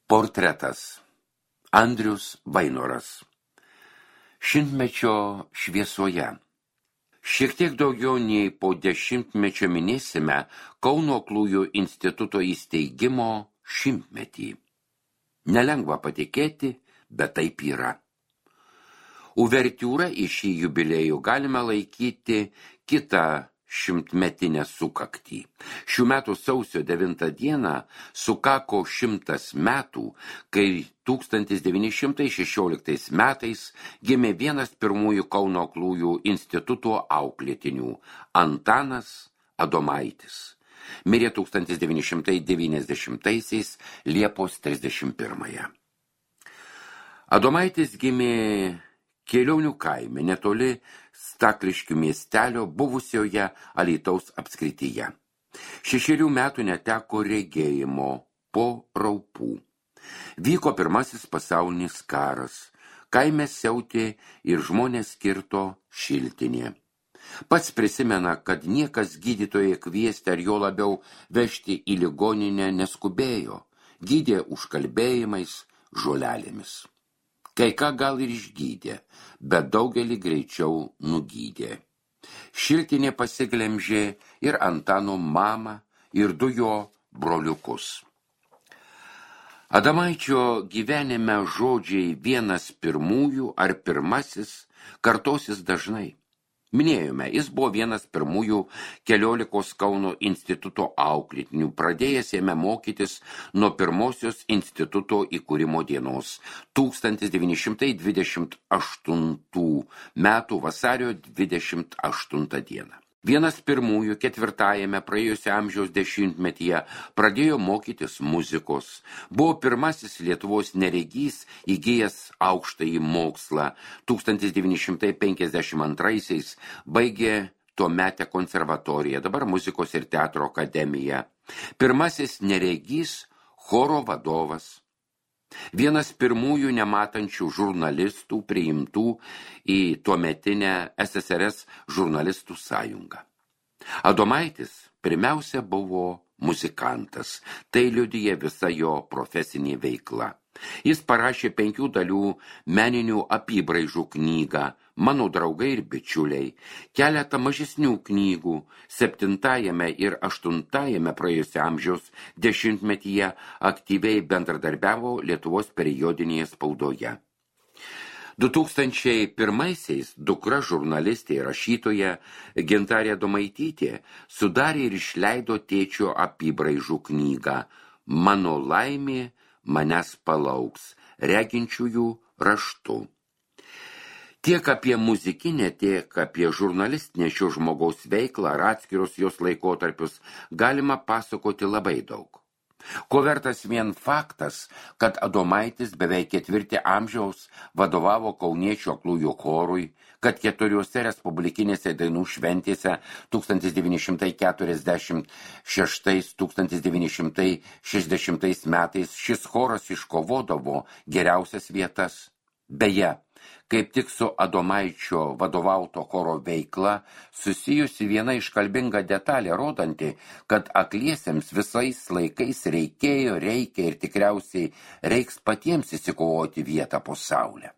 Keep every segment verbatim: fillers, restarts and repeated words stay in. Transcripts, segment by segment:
Portretas. Andrius Vainoras. Šimtmečio šviesoje. Šiek tiek daugiau nei po dešimtmečio minėsime Kauno Aklųjų instituto įsteigimo šimtmetį. Nelengva patikėti, bet taip yra. Uvertiūra į šį jubiliejų galime laikyti kitą šimtmetinę sukaktį. Šių metų sausio devintą dieną sukako šimtas metų, kai tūkstantis devyni šimtai šešioliktais metais gimė vienas pirmųjų Kauno Aklųjų instituto auklėtinių – Antanas Adomaitis. Mirė tūkstantis devyni šimtai devyniasdešimtaisiais Liepos trisdešimt pirmąją. Adomaitis gimė Kėlionių kaime, netoli Stakliškių miestelio buvusioje Alytaus apskrityje. Šešerių metų neteko regėjimo po raupų. Vyko pirmasis pasaulinis karas, kaime siautė ir žmonės kirto šiltinė. Pats prisimena, kad niekas gydytoje kviesti ar jo labiau vežti į ligoninę neskubėjo, gydė užkalbėjimais, žolelėmis. Kai ką gal ir išgydė, bet daugelį greičiau nugydė. Šiltinė pasiglemžė ir Antano mamą, ir du jo broliukus. Adomaičio gyvenime žodžiai vienas pirmųjų ar pirmasis kartosis dažnai. Minėjome, jis buvo vienas pirmųjų keliolikos Kauno instituto auklėtinių, pradėjęs jame mokytis nuo pirmosios instituto įkūrimo dienos tūkstantis devyni šimtai dvidešimt aštuntų metų vasario dvidešimt aštuntą dieną. Vienas pirmųjų ketvirtajame praėjusio amžiaus dešimtmetyje pradėjo mokytis muzikos. Buvo pirmasis Lietuvos neregys įgijęs aukštąjį mokslą. tūkstantis devyni šimtai penkiasdešimt antraisiais baigė tuometę konservatoriją, dabar muzikos ir teatro akademiją. Pirmasis neregys choro vadovas. Vienas pirmųjų nematančių žurnalistų priimtų į tuometinę S S R S žurnalistų sąjungą. Adomaitis pirmiausia buvo muzikantas, tai liudija visa jo profesinė veikla. Jis parašė penkių dalių meninių apybraižų knygą Mano draugai ir bičiuliai, keletą mažesnių knygų, septintajame ir aštuntajame praėjusio amžiaus dešimtmetyje aktyviai bendradarbiavo Lietuvos periodinėje spaudoje. du tūkstančiai pirmaisiais dukra žurnalistė ir rašytoja Gintarė Adomaitytė sudarė ir išleido tėčio apybraižų knygą Mano laimė manęs palauks, reginčiųjų raštu. Tiek apie muzikinę, tiek apie žurnalistinę šio žmogaus veiklą ar atskirus jos laikotarpius galima pasakoti labai daug. Ko vertas vien faktas, kad Adomaitis beveik ketvirtį amžiaus vadovavo Kauniečių aklųjų chorui, kad keturiose respublikinėse dainų šventėse tūkstantis devyni šimtai keturiasdešimt šeštais - tūkstantis devyni šimtai šešiasdešimtais metais šis choras iškovodavo geriausias vietas. Beje, kaip tik su Adomaičio vadovauto choro veikla susijusi viena iškalbinga detalė, rodanti, kad akliesiems visais laikais reikėjo, reikia ir tikriausiai reiks patiems įsikovoti vietą po saulę.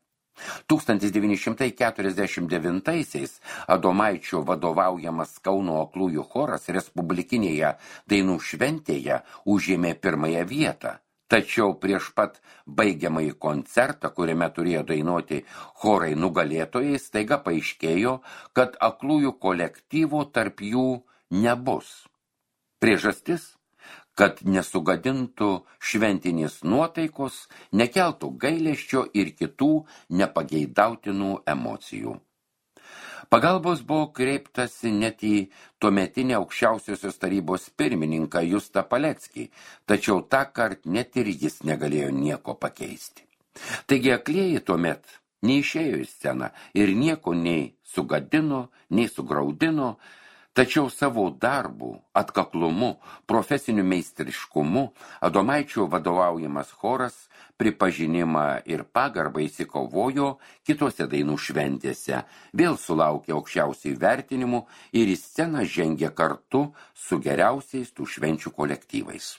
tūkstantis devyni šimtai keturiasdešimt devintaisiais Adomaičio vadovaujamas Kauno Aklųjų choras respublikinėje dainų šventėje užėmė pirmąją vietą. Tačiau prieš pat baigiamąjį koncertą, kuriame turėjo dainuoti chorai nugalėtojai, staiga paaiškėjo, kad aklųjų kolektyvų tarp jų nebus. Priežastis, kad nesugadintų šventinės nuotaikos, nekeltų gailesčio ir kitų nepageidautinų emocijų. Pagalbos buvo kreiptasi net į tuometinę aukščiausiosios tarybos pirmininką Justą Paleckį, tačiau tą kart net ir jis negalėjo nieko pakeisti. Taigi aklieji tuomet neišėjo į sceną ir nieko nei sugadino, nei sugraudino, tačiau savo darbu, atkaklumu, profesiniu meistriškumu Adomaičio vadovaujamas choras pripažinimą ir pagarbą įsikovojo kitose dainų šventėse, vėl sulaukė aukščiausiai vertinimų ir į sceną žengė kartu su geriausiais tų švenčių kolektyvais.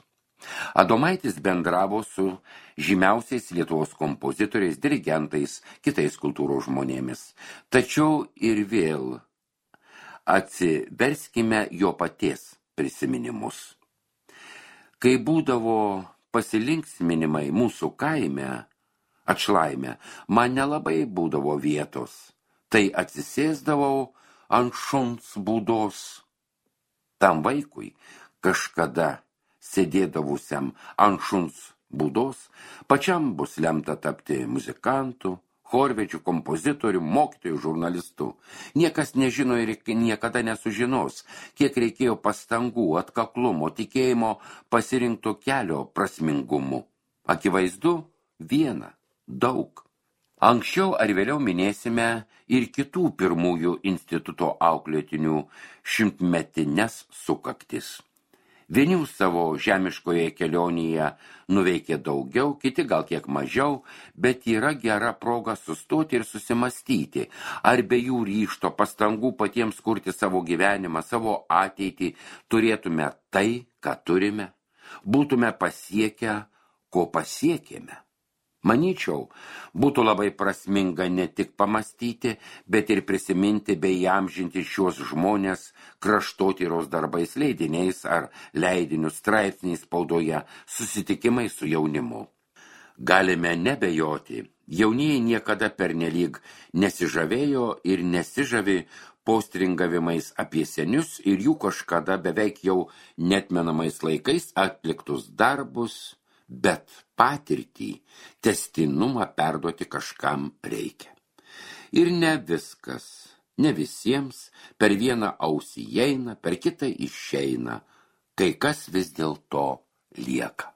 Adomaitis bendravo su žymiausiais Lietuvos kompozitoriais, dirigentais, kitais kultūros žmonėmis. Tačiau ir vėl atsiverskime jo paties prisiminimus. Kai būdavo pasilinksminimai mūsų kaime, atšlaime, man nelabai būdavo vietos. Tai atsisėsdavau ant šuns būdos. Tam vaikui kažkada sėdėdavusiam ant šuns būdos, pačiam bus lemta tapti muzikantu, chorvedžiu, kompozitoriu, mokytoju, žurnalistu. Niekas nežino ir niekada nesužinos, kiek reikėjo pastangų, atkaklumo, tikėjimo pasirinkto kelio prasmingumu. Akivaizdu, viena, daug. Anksčiau ar vėliau minėsime ir kitų pirmųjų instituto auklėtinių šimtmetines sukaktis. Vieni savo žemiškoje kelionėje nuveikė daugiau, kiti gal kiek mažiau, bet yra gera proga sustoti ir susimastyti, ar be jų ryžto pastangų patiems kurti savo gyvenimą, savo ateitį, turėtume tai, ką turime, būtume pasiekę, ko pasiekėme. Manyčiau, būtų labai prasminga ne tik pamastyti, bet ir prisiminti bei įamžinti šios žmonės kraštotyros darbais, leidiniais ar leidinių straipsniais spaudoje, susitikimai su jaunimu. Galime nebejoti, jaunieji niekada pernelyg nesižavėjo ir nesižavi postringavimais apie senius ir jų kažkada beveik jau netmenamais laikais atliktus darbus, bet patirtį, testinumą perduoti kažkam reikia. Ir ne viskas, ne visiems per vieną ausį įeina, per kitą išeina, kai kas vis dėlto lieka.